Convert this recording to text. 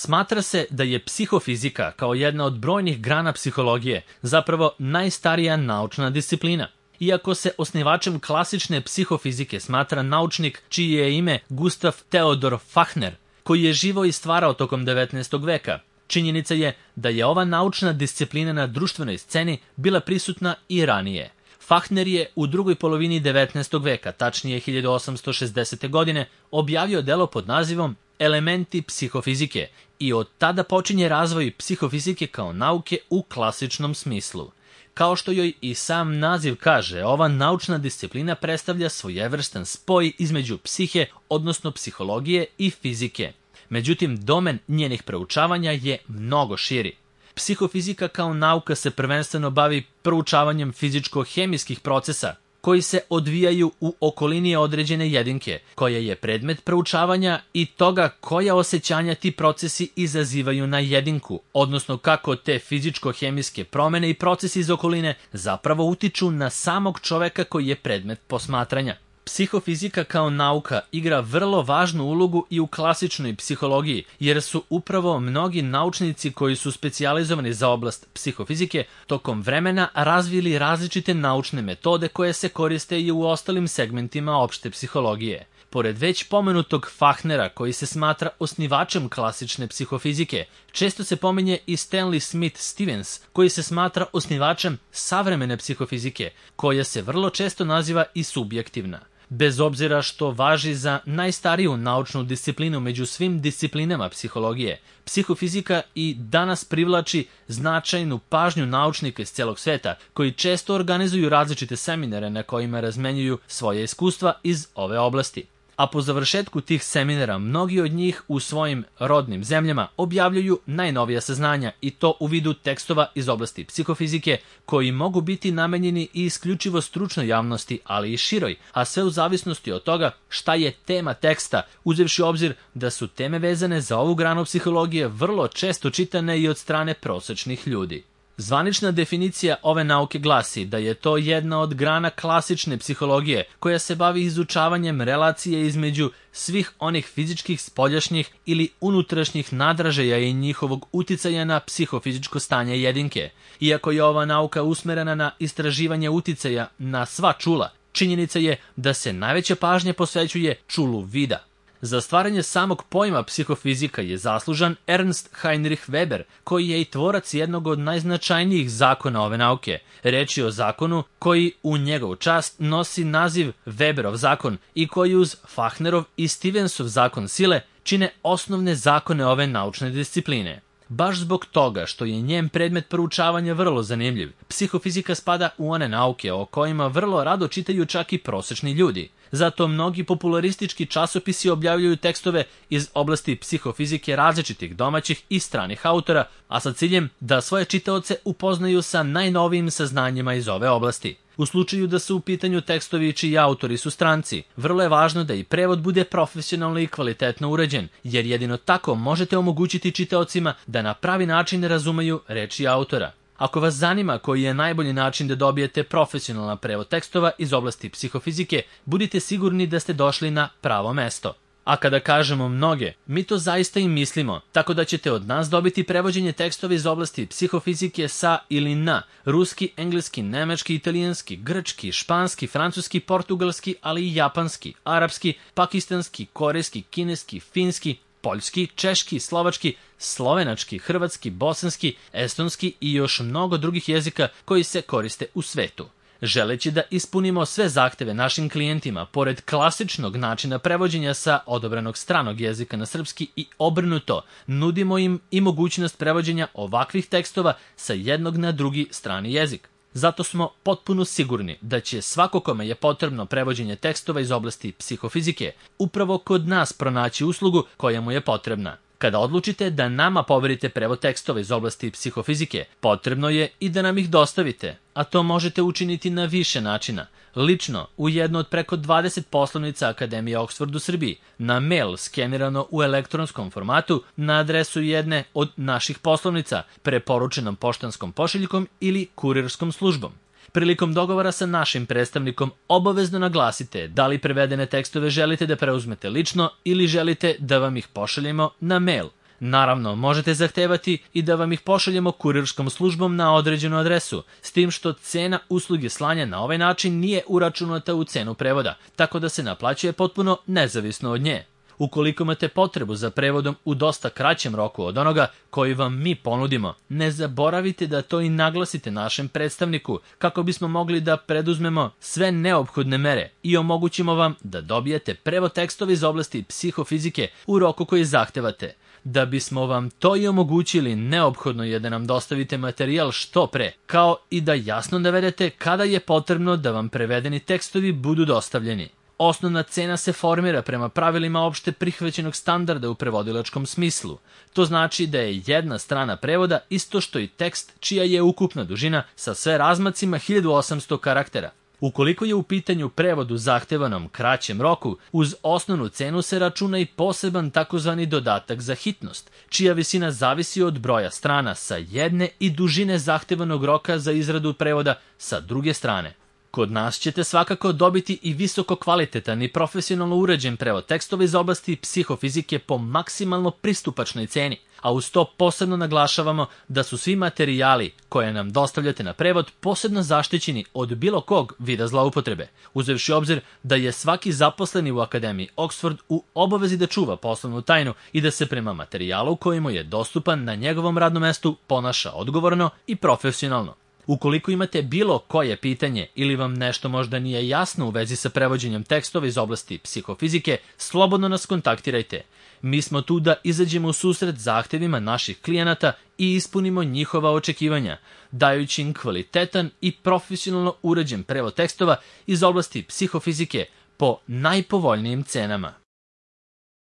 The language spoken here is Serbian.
Smatra se da je psihofizika, kao jedna od brojnih grana psihologije, zapravo najstarija naučna disciplina. Iako se osnivačem klasične psihofizike smatra naučnik čije je ime Gustav Theodor Fachner, koji je živo i stvarao tokom 19. veka, činjenica je da je ova naučna disciplina na društvenoj sceni bila prisutna i ranije. Fachner je u drugoj polovini 19. veka, tačnije 1860. godine, objavio delo pod nazivom Elementi psihofizike i od tada počinje razvoj psihofizike kao nauke u klasičnom smislu. Kao što joj i sam naziv kaže, ova naučna disciplina predstavlja svojevrstan spoj između psihe, odnosno psihologije i fizike. Međutim, domen njenih proučavanja je mnogo širi. Psihofizika kao nauka se prvenstveno bavi proučavanjem fizičko-hemijskih procesa koji se odvijaju u okolini određene jedinke, koja je predmet proučavanja i toga koja osjećanja ti procesi izazivaju na jedinku, odnosno kako te fizičko-hemijske promene i procesi iz okoline zapravo utiču na samog čoveka koji je predmet posmatranja. Psihofizika kao nauka igra vrlo važnu ulogu i u klasičnoj psihologiji, jer su upravo mnogi naučnici koji su specijalizovani za oblast psihofizike tokom vremena razvili različite naučne metode koje se koriste i u ostalim segmentima opšte psihologije. Pored već pomenutog Fachnera, koji se smatra osnivačem klasične psihofizike, često se pominje i Stanley Smith Stevens, koji se smatra osnivačem savremene psihofizike, koja se vrlo često naziva i subjektivna. Bez obzira što važi za najstariju naučnu disciplinu među svim disciplinama psihologije, psihofizika i danas privlači značajnu pažnju naučnika iz celog sveta, koji često organizuju različite seminare na kojima razmenjuju svoje iskustva iz ove oblasti. A po završetku tih seminara mnogi od njih u svojim rodnim zemljama objavljuju najnovija saznanja i to u vidu tekstova iz oblasti psihofizike koji mogu biti namenjeni i isključivo stručnoj javnosti, ali i široj, a sve u zavisnosti od toga šta je tema teksta, uzevši u obzir da su teme vezane za ovu granu psihologije vrlo često čitane i od strane prosečnih ljudi. Zvanična definicija ove nauke glasi da je to jedna od grana klasične psihologije koja se bavi izučavanjem relacije između svih onih fizičkih, spoljašnjih ili unutrašnjih nadražaja i njihovog uticaja na psihofizičko stanje jedinke. Iako je ova nauka usmerena na istraživanje uticaja na sva čula, činjenica je da se najveća pažnja posvećuje čulu vida. Za stvaranje samog pojma psihofizika je zaslužan Ernst Heinrich Weber, koji je i tvorac jednog od najznačajnijih zakona ove nauke. Reč je o zakonu koji u njegovu čast nosi naziv Weberov zakon i koji uz Fachnerov i Stevensov zakon sile čine osnovne zakone ove naučne discipline. Baš zbog toga što je njen predmet proučavanja vrlo zanimljiv, psihofizika spada u one nauke o kojima vrlo rado čitaju čak i prosečni ljudi. Zato mnogi popularistički časopisi objavljuju tekstove iz oblasti psihofizike različitih domaćih i stranih autora, a sa ciljem da svoje čitaoce upoznaju sa najnovijim saznanjima iz ove oblasti. U slučaju da su u pitanju tekstovi čiji autori su stranci, vrlo je važno da i prevod bude profesionalno i kvalitetno urađen, jer jedino tako možete omogućiti čitaocima da na pravi način razumeju reči autora. Ako vas zanima koji je najbolji način da dobijete profesionalan prevod tekstova iz oblasti psihofizike, budite sigurni da ste došli na pravo mesto. A kada kažemo mnoge, mi to zaista i mislimo, tako da ćete od nas dobiti prevođenje tekstova iz oblasti psihofizike sa ili na ruski, engleski, nemački, italijanski, grčki, španski, francuski, portugalski, ali i japanski, arapski, pakistanski, korejski, kineski, finski, poljski, češki, slovački, slovenački, hrvatski, bosanski, estonski i još mnogo drugih jezika koji se koriste u svetu. Želeći da ispunimo sve zahteve našim klijentima, pored klasičnog načina prevođenja sa odabranog stranog jezika na srpski i obrnuto, nudimo im i mogućnost prevođenja ovakvih tekstova sa jednog na drugi strani jezik. Zato smo potpuno sigurni da će svako kome je potrebno prevođenje tekstova iz oblasti psihofizike upravo kod nas pronaći uslugu koja mu je potrebna. Kada odlučite da nama poverite prevod tekstova iz oblasti psihofizike, potrebno je i da nam ih dostavite, a to možete učiniti na više načina. Lično, u jednu od preko 20 poslovnica Akademije Oxford u Srbiji, na mail skenirano u elektronskom formatu, na adresu jedne od naših poslovnica, preporučenom poštanskom pošiljkom ili kurirskom službom. Prilikom dogovora sa našim predstavnikom obavezno naglasite da li prevedene tekstove želite da preuzmete lično ili želite da vam ih pošaljemo na mail. Naravno, možete zahtevati i da vam ih pošaljemo kurirskom službom na određenu adresu, s tim što cena usluge slanja na ovaj način nije uračunata u cenu prevoda, tako da se naplaćuje potpuno nezavisno od nje. Ukoliko imate potrebu za prevodom u dosta kraćem roku od onoga koji vam mi ponudimo, ne zaboravite da to i naglasite našem predstavniku kako bismo mogli da preduzmemo sve neophodne mere i omogućimo vam da dobijete prevod tekstova iz oblasti psihofizike u roku koji zahtevate. Da bismo vam to i omogućili, neophodno je da nam dostavite materijal što pre, kao i da jasno navedete kada je potrebno da vam prevedeni tekstovi budu dostavljeni. Osnovna cena se formira prema pravilima opšte prihvaćenog standarda u prevodilačkom smislu. To znači da je jedna strana prevoda isto što i tekst čija je ukupna dužina sa sve razmacima 1800 karaktera. Ukoliko je u pitanju prevod u zahtevanom kraćem roku, uz osnovnu cenu se računa i poseban takozvani dodatak za hitnost, čija visina zavisi od broja strana sa jedne i dužine zahtevanog roka za izradu prevoda sa druge strane. Kod nas ćete svakako dobiti i visoko kvalitetan i profesionalno uređen prevod tekstova iz oblasti psihofizike po maksimalno pristupačnoj ceni, a uz to posebno naglašavamo da su svi materijali koje nam dostavljate na prevod posebno zaštićeni od bilo kog vida zloupotrebe, uzevši obzir da je svaki zaposleni u Akademiji Oxford u obavezi da čuva poslovnu tajnu i da se prema materijalu koji mu je dostupan na njegovom radnom mestu ponaša odgovorno i profesionalno. Ukoliko imate bilo koje pitanje ili vam nešto možda nije jasno u vezi sa prevođenjem tekstova iz oblasti psihofizike, slobodno nas kontaktirajte. Mi smo tu da izađemo u susret zahtevima naših klijenata i ispunimo njihova očekivanja, dajući im kvalitetan i profesionalno uređen prevod tekstova iz oblasti psihofizike po najpovoljnijim cenama.